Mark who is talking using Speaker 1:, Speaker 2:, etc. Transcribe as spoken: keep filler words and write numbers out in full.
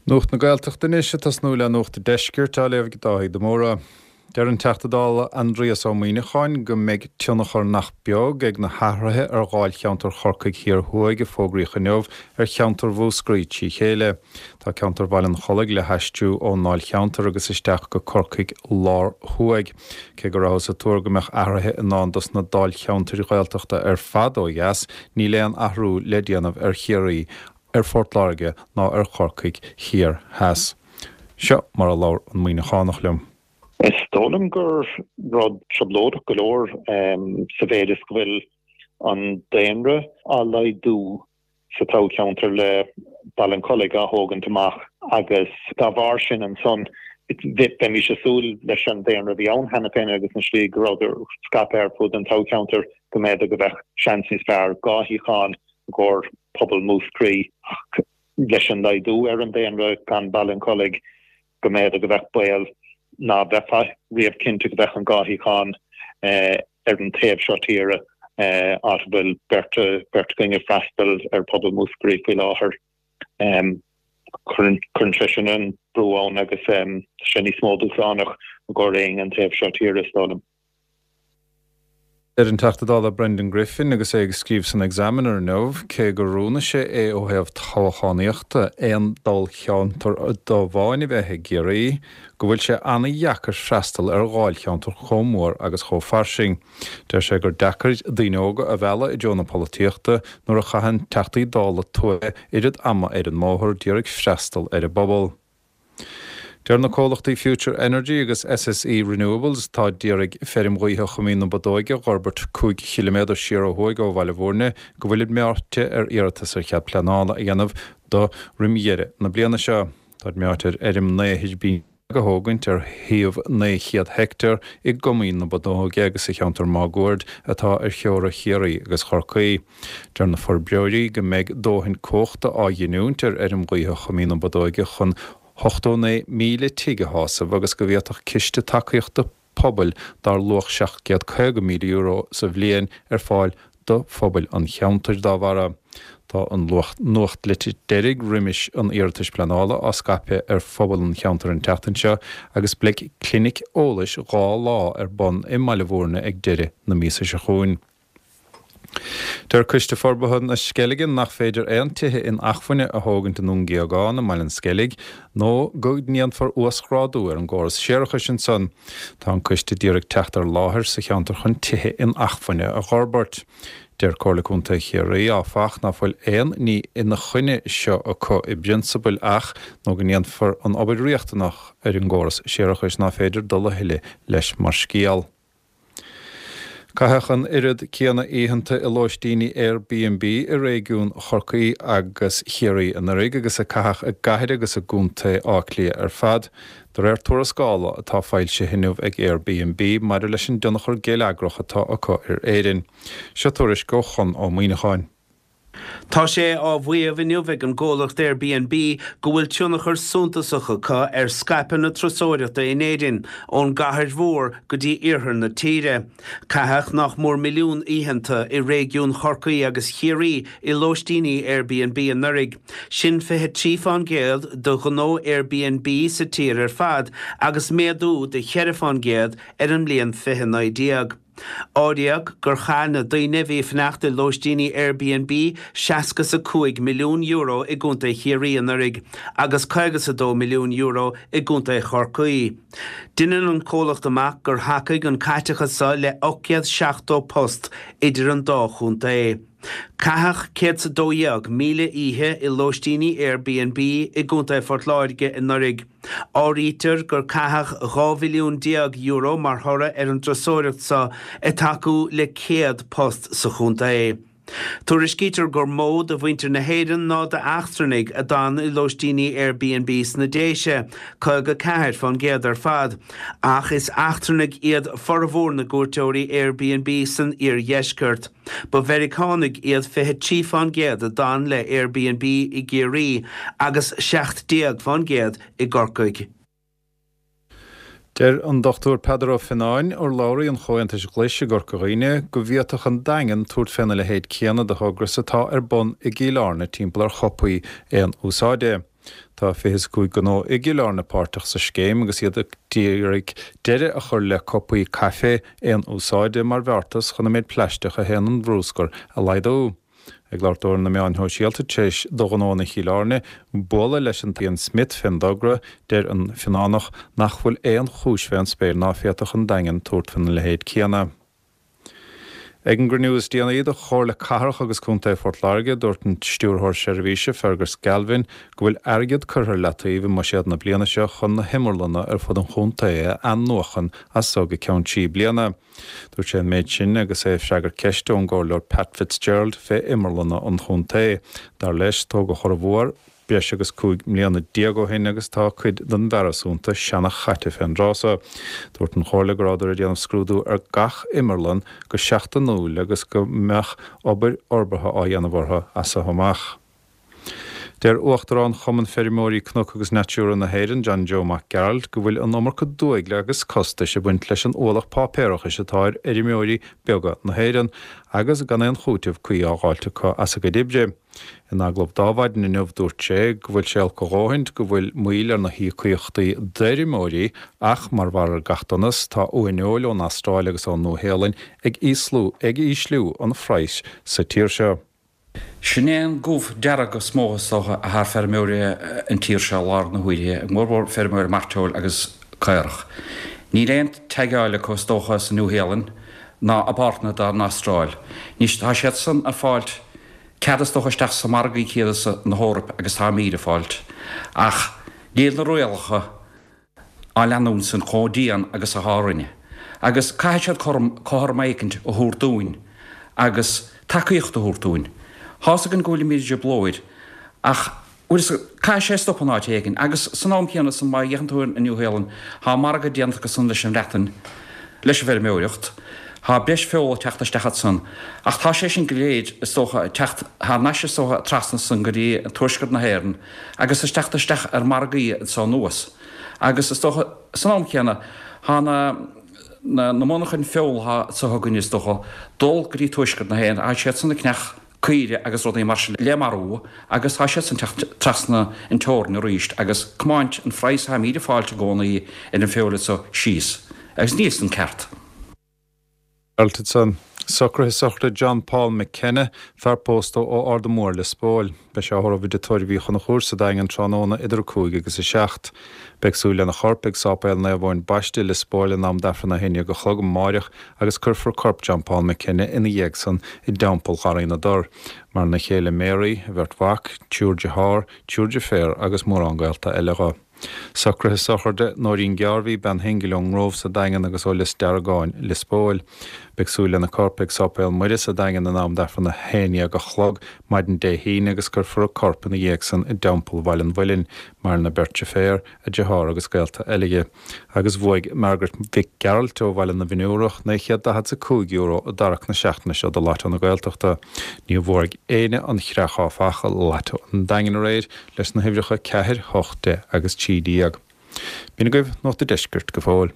Speaker 1: Nuacht na Gaeltachta anois ag tosnú le Nuacht an Deiscirt á léamh ag Dáithí de Mórdha. Deir an Teachta Dála Aindrias Ó Muimhneacháin go mbeidh tionchar nach beag ag na hathruithe ar dháilcheantar Chorcaigh Thiar Thuaidh a fógraíodh inniu ar cheantar Mhúscraí trí chéile. Tá ceantar Bhaile an Chollaigh le haistriú ón ndáilcheantar agus isteach go Corcaigh Lár Thuaidh. Cé go rabhthas ag tuar go mbeadh athruithe i ndán dos na dáilcheantair Ghaeltachta ar fad ó dheas, níl aon athrú le déanamh ar Chiarraí, ar Phort Láirge ná ar Chorcaigh Thiar Theas. Seo mar a labhair an Muimhneachánach liom.
Speaker 2: Is dóigh liom gur rud trioblóideach go leor sa mhéid is go bhfuil an daonra á laghdú sa toghcheantar le Baile an Chollaigh á thógaint amach agus dá bharr sin ansan bheimis ag súil leis an daonra a bhí ann cheana féin agus an slí go rabhadar scaipthe ar fud an toghcheantair go mb'fhéidir go bheadh seans níos fearr dhá shuíochán i gcomhair pobal Mhúscraí ach leis an laghdú ar an daonra gan Baile an Chollaigh go mb'fhéidir go bheadh baol ná beifeá riamh cinnte go bheadh an dhá shuíochán ar an taobh seo tíre áit a bhfuil beirt beirt againn ag freastal ar phobal Mhúscraí faoi láthair. Cuireann sé sin an brú ann agus tá sé níos mó dúshlánach i gcomhair éinne an taobh seo tíre is dóigh liom.
Speaker 1: Deir an Teachta Dála Brendan Griffin agus é ag scríobh san Examiner inniu, cé gur rúnaigh sé é ó thaobh toghchánaíochta aon dáilcheantar amháin a bheith i gCiarraí, go bhfuil sé an-dheacair freastal ar dháilcheantar chomh mór agus chomh fairsing. Deir sé gur deacair daoine óga a mhealladh i dtreo na polaitíochta nuair a chaitheann Teachtaí Dála tuaithe oiread ama ar an mbóthar d'iarraidh freastal ar an bpobal. Deir na comhlachtaí Future Energy agus SSE Renewables atá d'iarraidh feirm ghaoithe Choimín na Bodóige a dh'fhorbairt cúig chiliméadar siar ó thuaidh ó Bhaile Bhúirne go bhfuilid meáite ar iarratas ar chead pleanála a dhéanamh do roim dheireadh na bliana seo. Táid meáite ar fheirm naoi thuirbín a thógaint ar shuíomh naoi chéad heicteár i gCoimín na Bodóige agus sa cheantar máguaird atá ar theora Chiarraí agus Chorcaí. Deir na forbróirí go mbeidh dóthain cumhachta á ghiniúint ar fheirm ghaoithe Choimín na Bodóige chun hochtó naoi míle tigh a shásamh agus go bhféadfadh ciste tacaíochta pobail dar luach seacht gcéad caoga míle euro sa bhliain ar fáil do phobail an cheantair dá bharra. Tá an nuachtlitir deiridh roimis an iarratais pleanála á scaipeadh ar phobal an cheantair an tseachtain seo agus beidh clinic eolais dhá lá ar bun i mBaile Bhúirne ag deireadh na míosa seo chugainn. Deir Coiste Forbartha na Sceilge nach féidir aon tithe inacmhainne a thógaint i nDún Géagáin i mBaile an Sceilg nó go ndéanfar uasghrádú ar an gcóras séarachais ansan. Tá an coiste d'iarraidh teacht ar láthair sa cheantar chun tithe inacmhainne a dh'fhorbairt. Deir Comhairle Contae Chiarraí, áfach, ná fuil aon ní ina choinne seo acu i bprionsabal ach nó go ndéanfar an obair riachtanach ar an gcóras séarachais ná féidir dul a thuilleadh leis mar scéal. Caitheadh an oiread céanna oícheanta i lóistíní Airbnb i réigiún Chorcaí agus Chiarraí anuraidh agus a caitheadh i gcathair agus i gcontae Átha Cliath ar fad, de réir tuarascála atá foilsithe inniu ag Airbnb maidir leis an dtionchar geilleagrach atá acu ar Éirinn. Seo tuairisc ó Chonn Ó Muíneacháin.
Speaker 3: Tá sé á mhaíomh inniu ag an gcomhlacht Airbnb go bhfuil tionchar suntasach acu ar scaipeadh na turasóireachta in Éirinn, ón gcathair mhór go dtí iarthar na tíre. Caitheadh nach mór milliún oícheanta i réigiún Chorcaí agus Chiarraí i lóistíní Airbnb anuraidh. Sin fiche trí fán gcéad de ghnó Airbnb sa tír ar fad agus méadú de cheithre fán gcéad ar an mbliain fiche naoi déag. Áiríodh gur chaith na daoine a bhí ag fanacht i lóistíní Airbnb seasca is a cúig milliún euro i gContae Chiarraí anuraidh agus caoga is a dó milliún euro i gContae Chorcaí. Deineann an comhlacht amach gur thacaigh an caiteachas seo le ocht gcéad seachtó post idir an dá chontae. Caitheadh céad is a dó dhéag míle oíche i lóistíní Airbnb i gContae Phort Láirge anuraidh. Áirítear gur caitheadh dhá mhilliún déag euro mar thoradh ar an dturasóireacht seo ag tacú le céad post sa chontae. Tuairiscítear gur mó de mhuintir na hÉireann ná d'eachtrannaigh a d'fhan i lóistíní Airbnb sna Déise, caoga ceathair fán gcéad ar fad, ach is eachtrannaigh iad formhór na gcuairteoirí Airbnb san iardheisceart. Ba Mheiriceánaigh iad fiche trí fán gcéad a d'fhan le Airbnb i gCiarraí agus seacht déag fán gcéad i gCorcaigh.
Speaker 1: Deir an Dochtúir Peadar Ó Fionnáin, urlabhraí an Chomhaontais Ghlais i gCorca Dhuibhne, go bhféadfadh an Daingean tabhairt féna leithéid céanna de thogra is atá ar bun i gCill Airne timpeall ar chupaí aon úsáide. Tá fiche is a cúig gnó i gCill Airne páirteach sa scéim agus iad ag iarraidh deireadh a chur le cupaí caife aon úsáide mar bheartas chun an méid plaisteach a théann i mbrúscar a laghdú. Ag labhairt dó ar na meáin shóisialta tar éis do ghnóanna Chill Airne bualadh leis an Ian Smith fén dtogra, deir an Fionnáinach nach bhfuil aon chúis fén spéir ná féadfadh an Daingean tabhairt faoina leithéid céanna. Ag an gcruinniú is déanaí de Chomhairle Cathrach agus Contae Phort Láirge, dúirt an Stiúrthóir Seirbhíse, Fergus Galvin, go bhfuil airgead curtha ar leataobh i mbuiséad na bliana seo chun na himearlanna ar fud an chontae a athnuachan as so go ceann trí bliana. Dúirt sé an méid sin agus é ag freagairt ceiste ón gComhairleoir Pat Fitzgerald fé imearlanna an chontae. Dar leis, tógadh formhór breis agus cúig mbliana déag ó shin agus tá cuid den bhfearas iontu seana-chaite fén dtráth so. Dúirt an Chomhairle go rabhadar ag déanamh scrúdú ar gach imearlann go seachtainiúil agus go mbeadh obair fhorbartha á dhéanamh orthu as so amach. Deir Uachtarán Chumann Feirmeoirí Cnoc agus Natura na hÉireann, John Joe Mac Gearailt, go bhfuil an iomarca dúigle agus costais ag baint leis an ualach páipéarachais atá ar fheirmeoirí beaga na hÉireann agus gan aon chúiteamh cuí á dh'fháilt acu as a gcuid oibre. In agallamh d'Adhmhaidin inniu dúirt sé go bhfuil sé olc a dhóthaint go bhfuil moill ar na híocaíochtaí d'fheirmeoirí ach mar bharr ar gach donas tá uaineoil ón Astráil agus ón Nua-Shéalainn ag ag ísliú an phraghais sa tír seo.
Speaker 4: Sin é an gomh dearg is mó is dócha atá ar feirmeoirí an tír seo i láthair na huaire, go mórmhór feirmeoirí mairteoil agus caorach. Níl aon teagmháil acu is dócha sa Nua-Shéalainn ná i bpáirteanna den Astráil. Anois tá siad san ag fáilt cead is dócha isteach sa margaí céanna na hEoraip agus táimid ag fáilt. Ach níl na rialacha á leanúint san chomh dian agus atá orainne. Agus caithfidh siad cothrom éicint a thabhairt dúinn agus tacaíocht a thabhairt dúinn. Tá's againn go bhfuilimid i dtrioblóid ach caithfidh sé stop in áit éigin agus san am céanna san má fhéachann tú ar an Nua-Shéalainn tá margadh déanta acu san leis an Bhreatain, leis an bhfeirmeoireacht, tá breis feola ag teacht isteach ansan ach tá sé sin go léir is dócha ag teacht thar n-ais is dócha trasna san go dtí tuaisceart na hÉireann agus ag teacht isteach ar margaí anso anuas agus is dócha san am céanna tá na na monarchain feola atá anso againne is dócha dul go dtí tuaisceart na hÉireann tá siad san ag ceannach caoire agus rudaí mar sin le marú agus tá siad san teacht trasna an teorainn arís agus comáint an phraghas atáimid ag fáilt i gcónaí ar an feoil so síos agus níl san ceart.
Speaker 1: Ansan. Socruithe sochraide John Paul McKenna, fear pósta ó Ard an Mór, Lios Póil. Beidh sé á thórramh i dTigh Tórraimh Uí Chonchúir sa Daingean tráthnóna idir a cúig agus a seacht. Beidh súil lena chorp ag Sáipéal Naomh Eoin Baiste, Lios Póil in am d'Aifreann a haon déag a chlog amáireach agus cuirfear corp John Paul McKenna ina dhiaidh san i dTeampall Gharraí na dTor. Maireann a chéile Mary, a bheirt mhac, triúr dearthár, triúr deirféar agus mórán gaolta eile dho. Socruithe sochraide Nóirín Gearbhaí, bean shingil ón nGrove sa Daingean agus ó Lios Deargáin, Lios Póil. Beidh súil lena corp ag Sáipéal Muire sa Daingean in am d'Aifreann a haon dhéag a chlog maidin Dé hAoine agus cuirfear a corp ina dhiaidh san i dTeampall Bhaile an Mhuilinn, maireann a beirt deirféar, a deartháir agus gaolta eile dhi. Agus bhuaigh Margaret Mhic Gearailt ó Bhaile na bhFionnúrach naoi chéad daichead is a cúig euro i dtarrac na seachtaine seo do Lotto na Gaeltachta. Níor bhuaigh éinne an chreach áfach i Lotto an Daingin aréir leis na huimhreacha ceathair, hocht, deich agus trí déag. B'in agaibh Nuacht an Deiscirt go fóill.